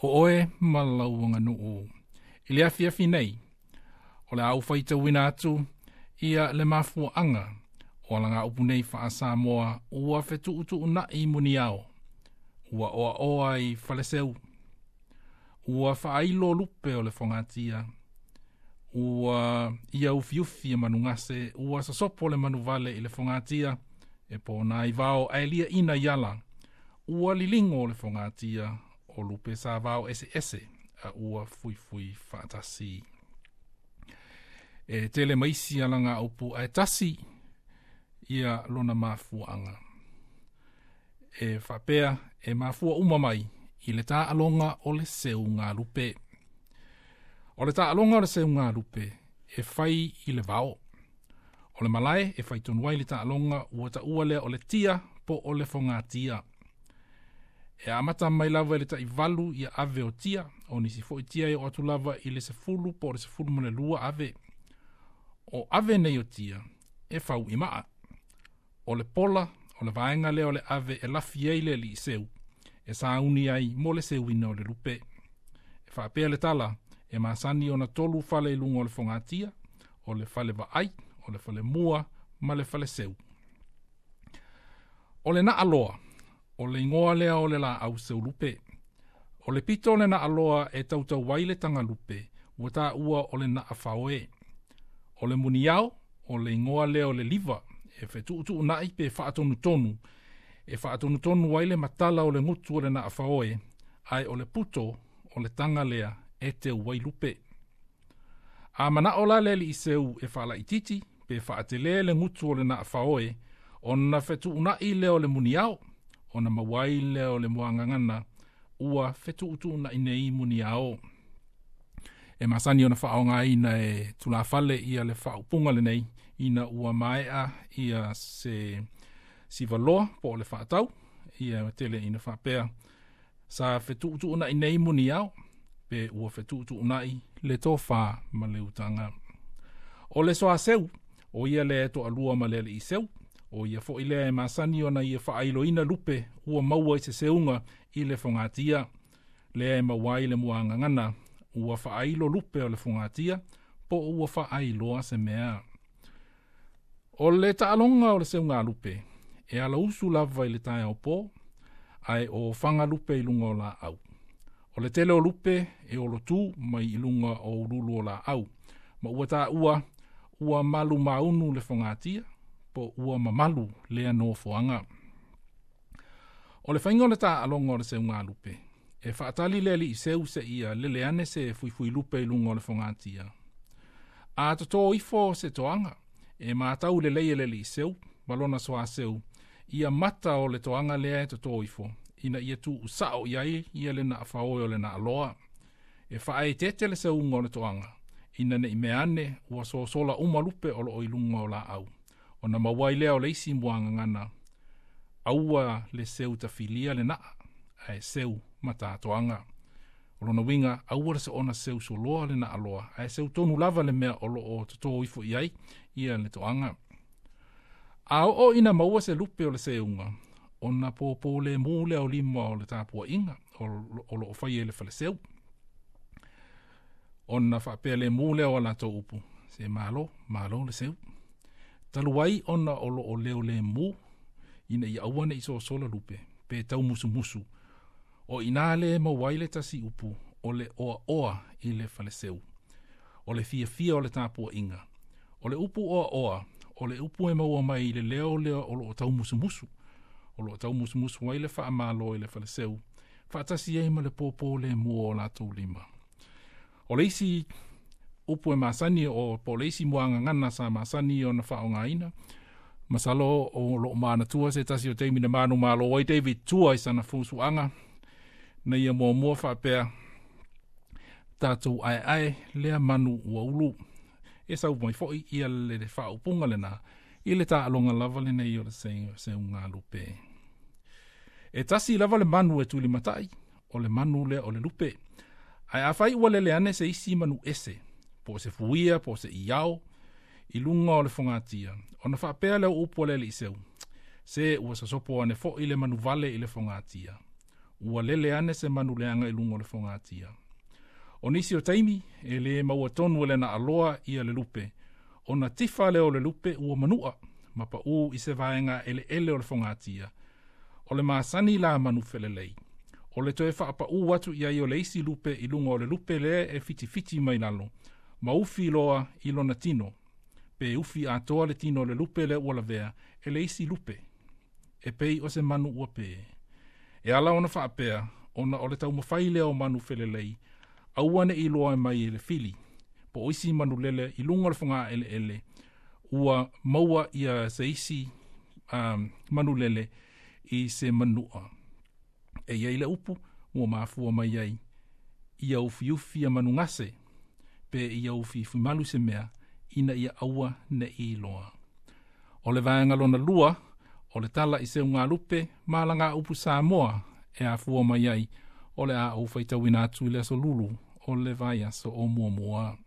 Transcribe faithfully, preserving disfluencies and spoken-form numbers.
O oe ma lau aganuu. I le afiafi nei, o le a ou faitauina atu ia le mafuaaga o alagaupu nei faa-Samoa ua fetuutuunai muniao, ua oaoa i faleseu, ua faailo lupe o le fogatia, ua ia ufiufi e manugase, ua sasopo le manuvale i le fogatia, e pona i vao ae ina iala, ua liligo le fogatia o lupe sa vao ese ese, a ua fuifui faatasi. E tele maisi alaga upu ae tasi ia lona mafuaaga. E faapea e mafua uma mai i le taaloga o le seugalupe. O le taaloga o le seugalupe e fai i le vao. O le malae e fai tonu ai le taaloga ua taua lea o le tia po o le fogatia. E amata mai lava i le taivalu ia ave o tia, o nisi foi tia e o atu lava i le sefulu po o le sefulu ma le lua ave. O ave nei o tia e fau i maa. O le pola, o le vaega lea o le ave e lafi ai le alii seu, e sauni ai mo le seuina o le lupe. E faapea le tala, e masani ona tolu fale i luga o le fogatia, o le fale vaai, o le fale mua, ma le fale seu. O le naaloa, o le igoa lea o le laau seulupe. O le pito o le naaloa e tautau ai le tagalupe, ua taua o le naafaoe. O le muniao, o le igoa lea o le liva, e fetuutuunai pe faatonutonu, e faatonutonu ai le matala o le gutu o le naafaoe, ae o le puto o le taga lea e teu ai lupe. A manao la le alii seu e faalaititi pe faatele le gutu o le naafaoe, ona fetuunai lea o le muniao, ona maua ai lea o le muagagana, ua fetuutuunai nei muniao. E masani ona faaaogaina e tulafale ia le faaupuga lenei, ina ua maea ia se sivaloa po o le faatau, ia tele ina faapea sa fetuutuunai nei muniao, pe ua fetuutuunai le tofa ma le utaga. O le soaseu, o ia le toalua ma le alii seu, o ia foi lea e masani ona ia faailoina lupe ua maua i se seuga i le fogatia, lea e maua ai le muagagana, ua faailo lupe o le fogatia, po ua faailoa se mea. O le taaloga o le seugalupe, e alausu lava i le taeao po, ae o fagalupe i luga o laau. O le tele o lupe e olotu mai i luga o ululu o laau, ma ua taua ua malu maunu le fogatia, po ua mamalu lea nofoaga. O le faiga o le taaloga o le seugalupe, e faatali le alii seu se ia lele ane se fuifui lupe i luga o le fogatia. A toto ifo se toaga, e matau lelei e le alii seu, ma lona soaseu, ia mata o le toaga lea e toto ifo, ina ia tuu sao i ai ia le naafaoe o le naaloa. E faaeteete le seuga o le toaga, ina nei mea ane ua sosola uma lupe o loo i luga o laau. Ona maua ai lea o le isi muagagana, aua le seu tafilia le naa, ae seu matatoaga. O lona uiga, aua le soona seu soloa le naaloa, ae seu tonu lava le mea o loo toto ifo i ai ia le toaga. A oo ina maua se lupe o le seuga, ona pōpō le mu lea o lima o le tapuaiga o loo fai e le faleseu. Ona faapea le mu lea o a latou upu, se malo, malo le seu. Talu ai ona o loo leo le mu, ina ia aua nei sosola lupe, pe tau musumusu. O ina le maua ai le tasi upu o le oaoa i le faleseu. O le fiafia o le tapuaiga. O le upu oaoa, o le upu e maua mai i le leo lea o loo tau musumusu. O loo tau musumusu ai le faamalo i le faleseu, faatasi ai ma le pōpō le mua o latou lima. O le isi upu e masani o po o le isi muagagana sa masani ona faaaogaina, masalo o loo manatua se tasi o taimi na manumalo ai David Tua i sana fusuaga, na ia muamua faapea, tatou aeae lea manu ua ulu. E sau mai foi ia le faaupuga lena, i le taaloga lava lenei o le seugalupe. E tasi lava le manu e tulimatai, o le manu lea o le lupe. Ae afai ua lele ane se isi manu ese, po o se fuia, po o se iao, i luga o le fogatia, ona faapea lea o upu a le alii seu, se ua sasopo ane foi le manuvale i le fogatia. Ua lele ane se manu leaga i luga o le fogatia. O nisi o taimi, e le maua tonu e le naaloa ia le lupe, ona tifa lea o le lupe ua manua, ma paū i se vaega eleele o le fogatia. O le masani la manu felelei, o le toe faapaū atu i ai o le isi lupe i luga o le lupe lea e fitifiti mai lalo, ma ufi loa i lona tino, pe ufi atoa le tino o le lupe lea ua lavea e le isi lupe, e pei o se manu ua pē. E ala ona faapea, ona o le taumafai lea o manu felelei, aua ne i iloa mai e le fili, po o isi manulele i luga o le fogaeleele, ua maua ia se isi um, manulele i se manua. E i ai le upu ua mafua mai ai, ia ufiufi ia manugase, pe ia ufiufimalu se mea, ina ia aua ne i iloa. O le vaega lona lua, o le tala i seugalupe ma alagaupu Samoa e afua mai ai, o le a ou faitauina atu i le aso Lulu o le vaiaso o muamua.